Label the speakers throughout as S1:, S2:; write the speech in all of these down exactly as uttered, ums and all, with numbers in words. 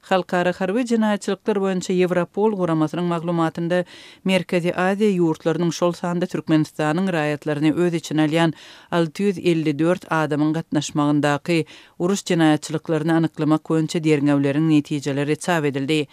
S1: Halkara harby jenaýatçylyklar boýunça Ýewropol guramasynyň maglumatynda Merkezi Aziýa ýurtlarynyň, şol sanda Türkmenistanyň raýatlaryny öz içine alýan alty ýüz elli dört adamyň gatnaşmagyndaky uruş jenaýatçylyklaryny anyklamak boýunça derňewleriň netijeleri çap edildi.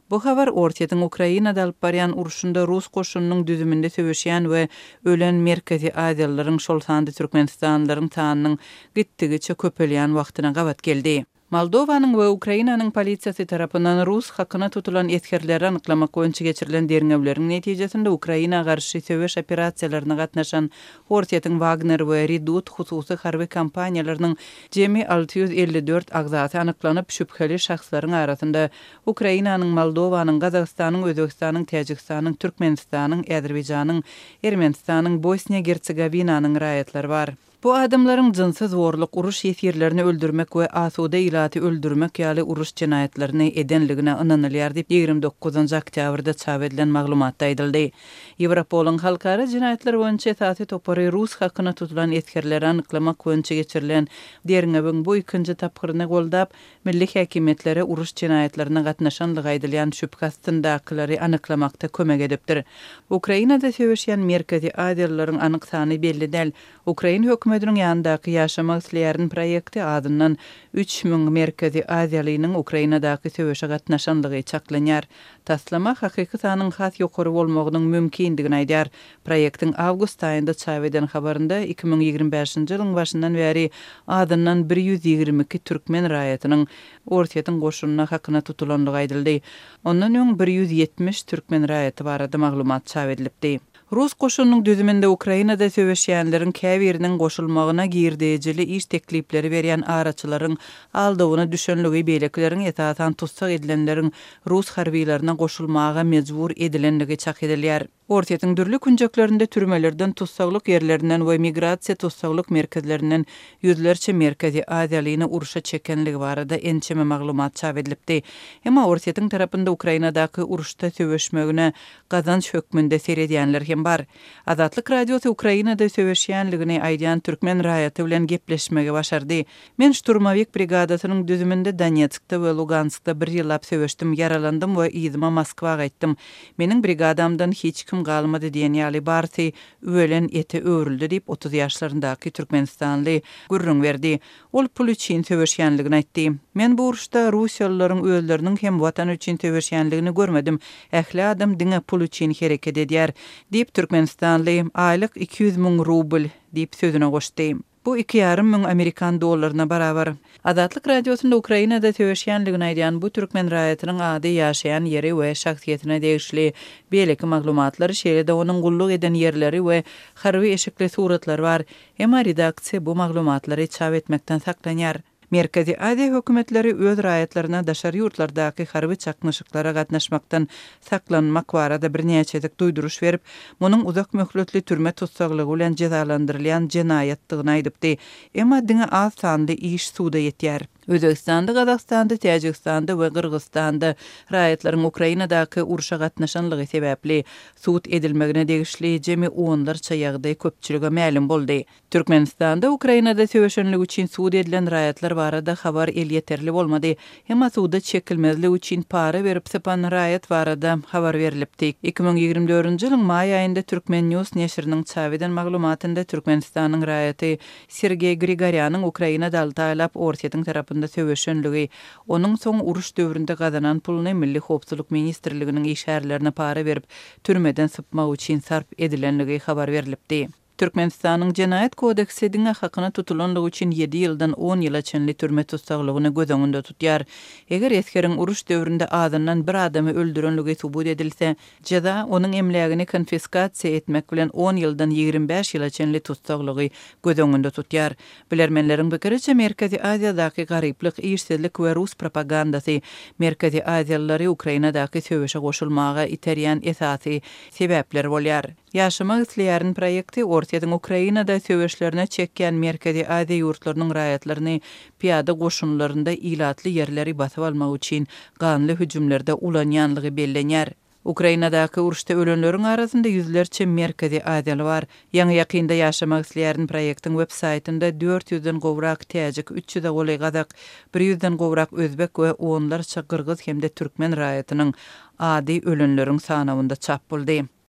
S1: Bu habar Orsýetiň Ukrainada alyp barýan urşunda rus goşunynyň düzüminde söweşýän we ölen Merkezi Aziýalylaryň, şol sanda türkmenistanlylaryň sanynyň gitdigiçe köpelýän wagtyna gabat geldi. Moldowanyň we Ukrainanyň polisiýasy tarapyndan rus hakyna tutulan esgerleri anyklamak boýunça geçirilen derňewleriň netijesinde Ukraina garşy söweş operasiýalaryna gatnaşan Orsýetiň Wagner we Redut hususy harby kompaniýalarynyň jemi alty ýüz elli dört agzasy anyklanyp, şübheli şahslaryň arasynda Ukrainanyň, Moldowanyň, Gazagystanyň, Özbegistanyň, Täjigistanyň, Türkmenistanyň, Azerbaýjanyň, Ermenistanyň, Bosniýa-Gersegowinanyň raýatlary bar. Bu adamlaryň jynsy zorluk, uruş ýesirlerini öldürmek we asuda ilaty öldürmek ýaly uruş jenaýatlaryny edenligine ynanylýar diýip, ýigrimi dokuzynjy oktýabrda çap edilen maglumatda aýdyldy. Ýewropolyň halkara jenaýatlar boýunça esasy topary rus hakyna tutulan esgerleri anyklamak boýunça geçirilen derňewiň bu ikinji tapgyryny goldap, milli häkimiýetlere uruş jenaýatlaryna gatnaşanlygy aýdylýan şübhe astyndakylary anyklamakda kömek edipdir. Ukrainada söweşýän Merkezi Aziýalylaryň anyk sany belli däl. Ukrain hökümetiniň ýanyndaky Ýaşamak isleýärin proýekti azyndan üç müň Merkezi Aziýalynyň Ukrainadaky söweşe gatnaşanlygy çaklanýar. Taslama hakyky sanyň has ýokary bolmagynyň mümkindigini aýdýar. Proýektiň awgust aýynda çap eden habarynda iki müň ýigrimi bäşinji ýylyň başyndan bäri azyndan bir ýüz ýigrimi iki türkmen raýatynyň Orsýetiň goşunyna hakyna tutulanlygy aýdyldy. Ondan öň bir ýüz ýetmiş türkmen raýaty barada maglumat çap edilipdi. Rus goşunynyň düzüminde Ukrainada söweşýänleriň käbiriniň goşulmagyna girdejili iş teklipleri berýän araçylaryň aldawyna düşenligi, beýlekileriň esasan tussag edilenleriň rus harbylaryna goşulmaga mejbur edilenligi çak edilýär. Orsýetiň dürli künjeklerinde türmelerden, tussaglyk ýerlerinden we migrasiýa tussaglyk merkezlerinden ýüzlerçe Merkezi Aziýalyny urşa çekenligi barada ençeme maglumat çap edilipdi. Emma Orsýetiň tarapynda Ukrainadaky uruşda söweşmegine gazanç hökmünde seredýänler hem bar. Azatlyk Radiosy Ukrainada söweşýänligini aýdýan türkmen raýaty bilen gepleşmegi başardy. Men Şturmowik brigadasynyň düzüminde Donetskde we Luganskda bir ýyllap söweşdim, ýaralandym we yzyma Moskwa gaýtdym. Meniň brigadamdan hiç kim galmady diýen ýaly barysy üwelen ete öwrüldi diýip otuz ýaşlaryndaky türkmenistanly gürrüň berdi. Ol pul üçin söweşýänligini aýtdy. Men bu uruşda Russiýalylaryň özleriniň hem watan üçin söweşýänligini görmedim. Ähli adam diňe pul üçin hereket edýär diýip türkmenistanly aýlyk iki ýüz müň rubl diýip sözüne goşdy. Bu iki ýarym müň amerikan dollaryna barabar. Azatlyk Radiosynda Ukrainada söweşýänligini aýdýan bu türkmen raýatynyň ady, ýaşaýan ýeri we şahsyýetine degişli beýleki maglumatlary, şeýle-de onuň gulluk eden ýerleri we harby eşikli suratlary bar. Emma redaksiýa bu maglumatlary çap etmekden saklanýar. Merkezi Aziýa hökümetleri öz raýatlaryna daşary ýurtlardaky harby çaknyşyklara gatnaşmakdan saklanmak barada birnäçe duýduryş berip, munuň uzak möhletli türme tussaglygy bilen jezalandyrylýan jenaýatdygyny aýdypdy. Emma diňe az sanly iş suda ýetýär. Özbegistanda, Gazagystanda, Täjigistanda we Gyrgyzystanda raýatlaryň Ukrainadaky urşa gatnaşanlygy sebäpli sud edilmegine degişli jemi onlarça ýagdaý köpçülige mälim boldy. Türkmenistanda Ukrainada söweşenlik üçin sud edilen raýatlar barada habar elýeterli bolmady. Emma suda çekilmezlik üçin para berip sypan raýat barada habar berilipdi. iki müň ýigrimi dördünji ýylyň maý aýynda Türkmen News neşiriniň çap eden maglumatynda Türkmenistanyň raýaty Sergeý Grigorýanyň Ukrainada alty aýlap Orsýetiň tarapynda söweşenligi, onuň soň uruş döwründe gazanan puluny Milli Howpsuzlyk Ministrliginiň işgärlerine para berip türmeden sypmak üçin sarp edilenligi habar berilipdi. Türkmenistanyň Jenaýat kodeksi diňe hakyna tutulanlygy üçin ýedi ýyldan on ýyla çenli türme tussaglygyny göz öňünde tutýar. Eger esgeriň uruş döwründe azyndan bir adamy öldürenligi subut edilse, jeza onuň emlägini konfiskasiýa etmek bilen on ýyldan ýigrimi bäş ýyla çenli tussaglygy göz öňünde tutýar. Bilermenleriň pikiriçe Merkezi Aziýadaky garyplyk, işsizlik we rus propagandasy Merkezi Aziýalylary Ukrainadaky söweşe goşulmaga iterýän esasy sebäpler bolýar. Ýaşamak isleýärin proýekti Orsýetiň Ukrainada söweşlerine çekýän Merkezi Aziýa ýurtlarynyň raýatlaryny piýada goşunlarynda ilatly ýerleri basyp almak üçin ganly hüjümlerde ulanýanlygy bellenýär. Ukrainadaky uruşda ölenleriň arasynda ýüzlerçe merkezi aziýaly bar. Ýaňy-ýakynda Ýaşamak isleýärin proýektiň web saýtynda dört ýüzden gowrak täjik, üç ýüze golaý gazak, bir ýüzden gowrak özbek we onlarça gyrgyz hem-de türkmen raýatynyň ady ölenleriň sanawynda çap boldy.